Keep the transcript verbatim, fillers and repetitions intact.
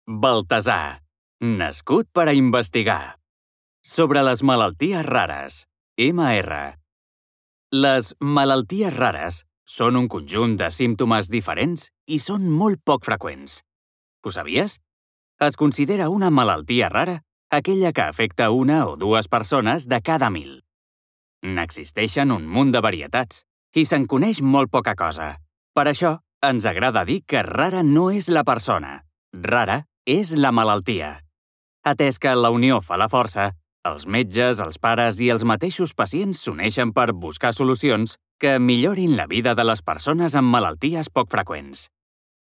Baltasar, nascut per a investigar. Sobre les malalties rares, ema erra. Les malalties rares són un conjunt de símptomes diferents i són molt poc freqüents. Ho sabies? Es considera una malaltia rara aquella que afecta una o dues persones de cada mil. N'existeixen un munt de varietats i se'n coneix molt poca cosa. Per això, ens agrada dir que rara no és la persona, rara és la malaltia. Atès que la unió fa la força, els metges, els pares i els mateixos pacients s'uneixen per buscar solucions que millorin la vida de les persones amb malalties poc freqüents.